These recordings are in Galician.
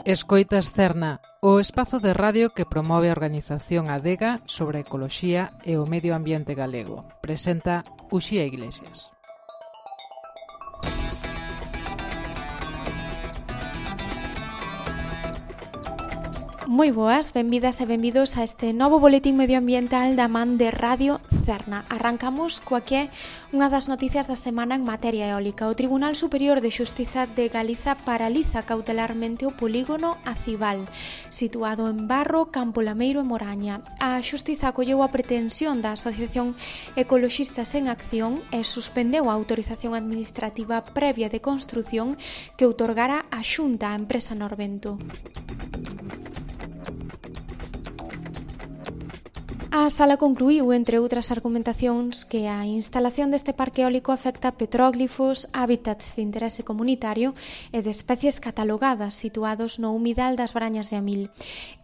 Escoitas Cerna, o espazo de radio que promove a organización Adega sobre a ecoloxía e o medio ambiente galego. Presenta Uxía Iglesias. Moi boas, benvidas e benvidos a este novo boletín medioambiental da man de Radio Cerna. Arrancamos coa que é unha das noticias da semana en materia eólica. O Tribunal Superior de Xustiza de Galiza paraliza cautelarmente o polígono Acival, situado en Barro, Campo Lameiro e Moraña. A Xustiza acolleu a pretensión da Asociación Ecoloxistas en Acción e suspendeu a autorización administrativa previa de construción que outorgara a Xunta á empresa Norvento. A sala concluíu, entre outras argumentacións, que a instalación deste parque eólico afecta petróglifos, hábitats de interese comunitario e de especies catalogadas situados no humidal das Brañas de Amil.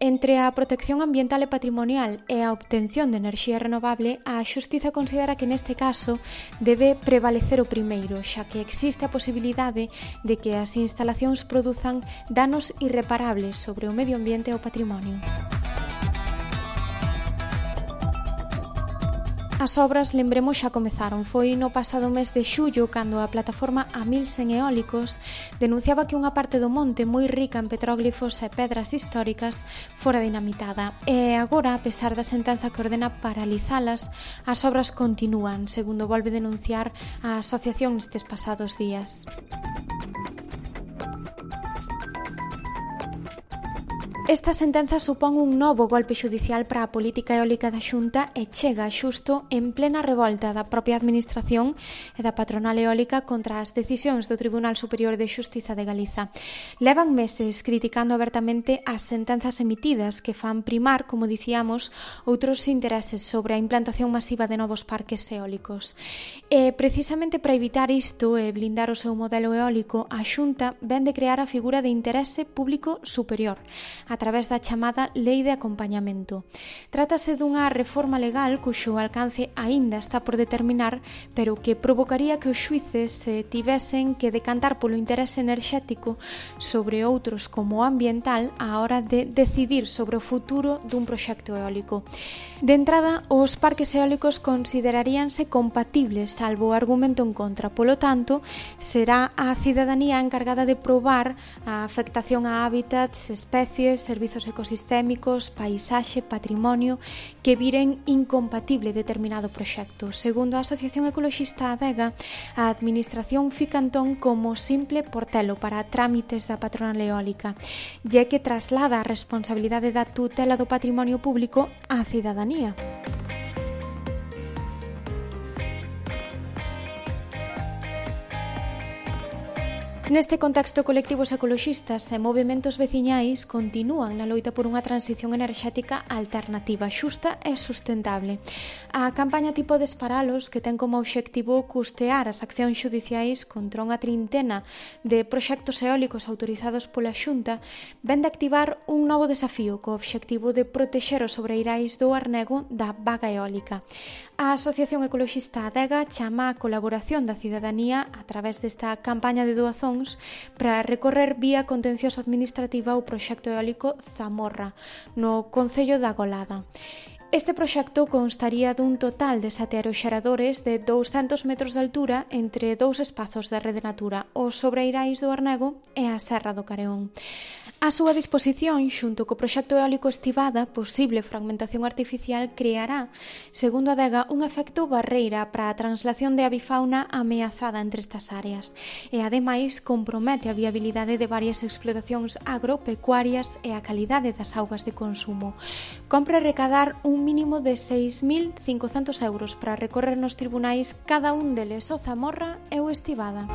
Entre a protección ambiental e patrimonial e a obtención de enerxía renovable, a Xustiza considera que neste caso debe prevalecer o primeiro, xa que existe a posibilidade de que as instalacións produzan danos irreparables sobre o medio ambiente e o patrimonio. As obras, lembremos, xa comezaron. Foi no pasado mes de xullo cando a plataforma Amilsen Eólicos denunciaba que unha parte do monte moi rica en petróglifos e pedras históricas fora dinamitada. E agora, a pesar da sentenza que ordena paralizalas, as obras continúan, segundo volve denunciar a asociación nestes pasados días. Esta sentenza supón un novo golpe xudicial para a política eólica da Xunta e chega xusto en plena revolta da propia administración e da patronal eólica contra as decisións do Tribunal Superior de Xustiza de Galiza. Levan meses criticando abertamente as sentenzas emitidas que fan primar, como dicíamos, outros intereses sobre a implantación masiva de novos parques eólicos. E precisamente para evitar isto e blindar o seu modelo eólico, a Xunta vén de crear a figura de interese público superior, a través da chamada Lei de Acompañamento. Trátase dunha reforma legal cuxo alcance aínda está por determinar, pero que provocaría que os xuíces se tivesen que decantar polo interese enerxético sobre outros como o ambiental á hora de decidir sobre o futuro dun proxecto eólico. De entrada, os parques eólicos consideraríanse compatibles, salvo o argumento en contra. Polo tanto, será a cidadanía encargada de probar a afectación a hábitats, especies, servizos ecosistémicos, paisaxe, patrimonio, que viren incompatible determinado proxecto. Segundo a Asociación Ecoloxista Adega, a Administración fica entón como simple portelo para trámites da patronal eólica, e que traslada a responsabilidade da tutela do patrimonio público á cidadanía. Neste contexto, colectivos ecoloxistas e movementos veciñais continúan na loita por unha transición enerxética alternativa, xusta e sustentable. A campaña Ti podes paralos, que ten como obxectivo custear as accións xudiciais contra unha trintena de proxectos eólicos autorizados pola Xunta, ven de activar un novo desafío co obxectivo de protexer os sobreirais do arnego da vaga eólica. A Asociación Ecoloxista Adega chama a colaboración da cidadanía a través desta campaña de doazón para recorrer vía contencioso administrativa o proxecto eólico Zamorra, no concello da Golada. Este proxecto constaría dun total de 7 aeroxeradores de 200 metros de altura entre dous espazos de rede natura, os sobreirais do Arnego e a Serra do Careón. A súa disposición, xunto co proxecto eólico Estivada, posible fragmentación artificial, creará, segundo Adega, un efecto barreira para a translación de avifauna ameazada entre estas áreas e, ademais, compromete a viabilidade de varias explotacións agropecuarias e a calidade das augas de consumo. Compre recadar un mínimo de 6.500 euros para recorrer nos tribunais cada un deles o Zamorra e o Estivada.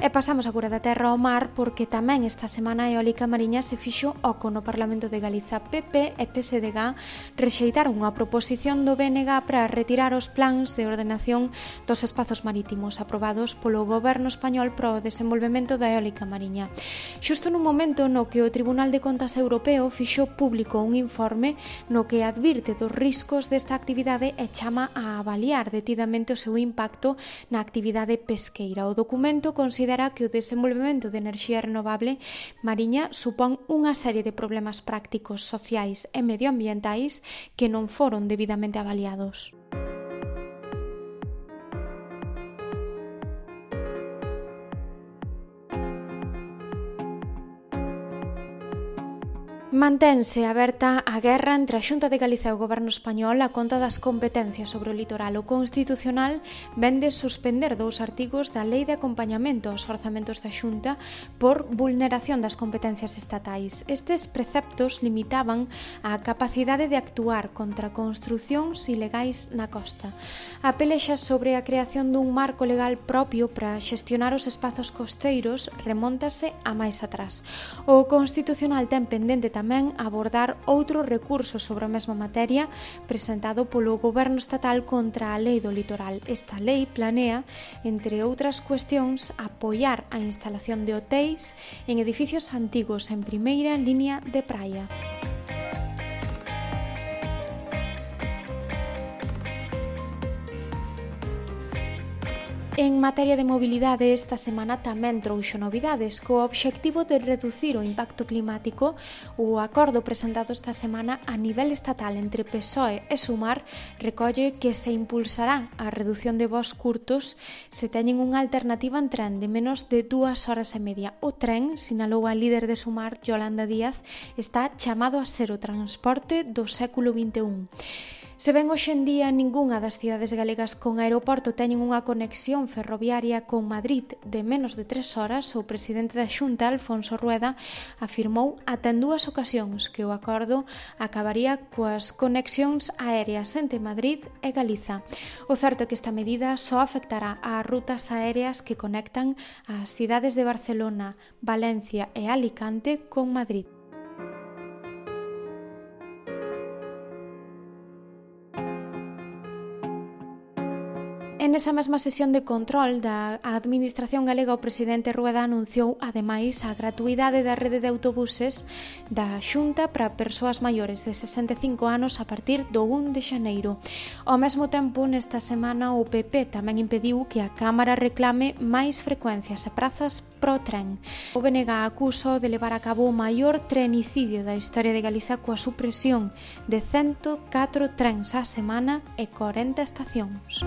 E pasamos agora da terra ao mar porque tamén esta semana a eólica mariña se fixo oco no Parlamento de Galiza. PP e PSDG rexeitaron a proposición do BNG para retirar os plans de ordenación dos espazos marítimos aprobados polo goberno español para o desenvolvemento da eólica mariña. Xusto nun momento no que o Tribunal de Contas Europeo fixo público un informe no que advirte dos riscos desta actividade e chama a avaliar detidamente o seu impacto na actividade pesqueira. O documento considera que o desenvolvemento de enerxía renovable mariña supón unha serie de problemas prácticos, sociais e medioambientais que non foron debidamente avaliados. Mantense aberta a guerra entre a Xunta de Galicia e o Goberno español a conta das competencias sobre o litoral. O Constitucional vende suspender 2 artigos da Lei de Acompañamento aos orzamentos da Xunta por vulneración das competencias estatais. Estes preceptos limitaban a capacidade de actuar contra construcións ilegais na costa. A pelexa sobre a creación dun marco legal propio para xestionar os espazos costeiros remóntase a máis atrás. O Constitucional ten pendente tamén abordar outro recurso sobre a mesma materia presentado polo Goberno estatal contra a Lei do Litoral. Esta lei planea, entre outras cuestións, apoiar a instalación de hotéis en edificios antigos en primeira línea de praia. En materia de mobilidade, esta semana tamén trouxo novidades. Co obxectivo de reducir o impacto climático, o acordo presentado esta semana a nivel estatal entre PSOE e Sumar recolle que se impulsará a reducción de voos curtos se teñen unha alternativa en tren de menos de 2 horas e media. O tren, sinalou a líder de Sumar, Yolanda Díaz, está chamado a ser o transporte do século XXI. Se ben hoxe en día ningunha das cidades galegas con aeroporto teñen unha conexión ferroviaria con Madrid de menos de 3 horas, o presidente da Xunta, Alfonso Rueda, afirmou ata en 2 ocasións que o acordo acabaría coas conexións aéreas entre Madrid e Galiza. O certo é que esta medida só afectará ás rutas aéreas que conectan as cidades de Barcelona, Valencia e Alicante con Madrid. En esa mesma sesión de control da Administración Galega, o presidente Rueda anunciou, ademais, a gratuidade da rede de autobuses da Xunta para persoas maiores de 65 anos a partir do 1 de xaneiro. Ao mesmo tempo, nesta semana, o PP tamén impediu que a Cámara reclame máis frecuencias e prazas pro tren. O BNG acusou de levar a cabo o maior trenicidio da historia de Galiza coa supresión de 104 trens á semana e 40 estacións.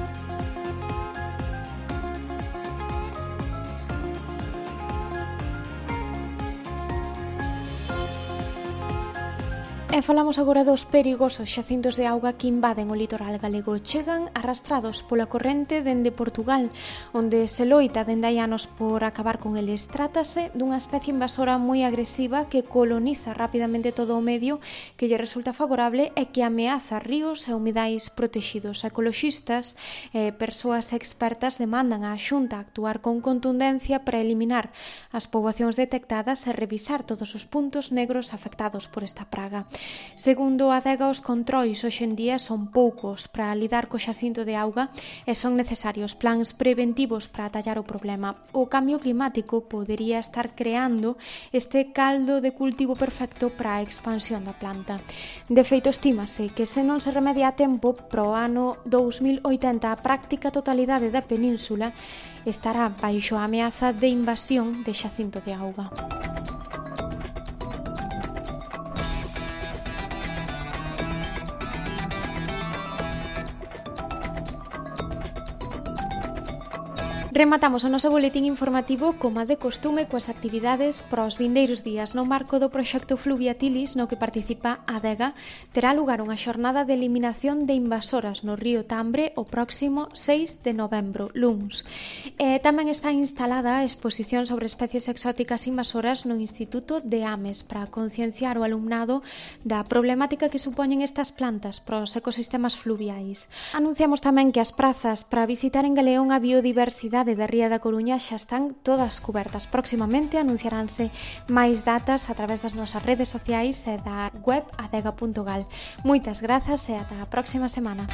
E falamos agora dos perigosos xacintos de auga que invaden o litoral galego. Chegan arrastrados pola corrente dende Portugal, onde se loita dende hai anos por acabar con eles. Trátase dunha especie invasora moi agresiva que coloniza rapidamente todo o medio que lle resulta favorable e que ameaza ríos e humidais protexidos. Ecoloxistas e persoas expertas demandan á Xunta actuar con contundencia para eliminar as poboacións detectadas e revisar todos os puntos negros afectados por esta praga. Segundo a Adega, os controis hoxe en día son poucos para lidar co xacinto de auga e son necesarios plans preventivos para atallar o problema. O cambio climático podería estar creando este caldo de cultivo perfecto para a expansión da planta. De feito, estímase que se non se remedia a tempo, pro ano 2080 a práctica totalidade da península estará baixo a ameaza de invasión de xacinto de auga. Rematamos o noso boletín informativo como de costume coas actividades para os vindeiros días. No marco do proxecto Fluviatilis, no que participa a Adega, terá lugar unha xornada de eliminación de invasoras no río Tambre o próximo 6 de novembro, luns. Tamén está instalada a exposición sobre especies exóticas invasoras no Instituto de Ames para concienciar o alumnado da problemática que supoñen estas plantas para os ecosistemas fluviais. Anunciamos tamén que as prazas para visitar en Galeón a biodiversidade cidade de Ría da Coruña xa están todas cubertas. Próximamente anunciaránse máis datas a través das nosas redes sociais e da web adega.gal. Moitas grazas e ata a próxima semana.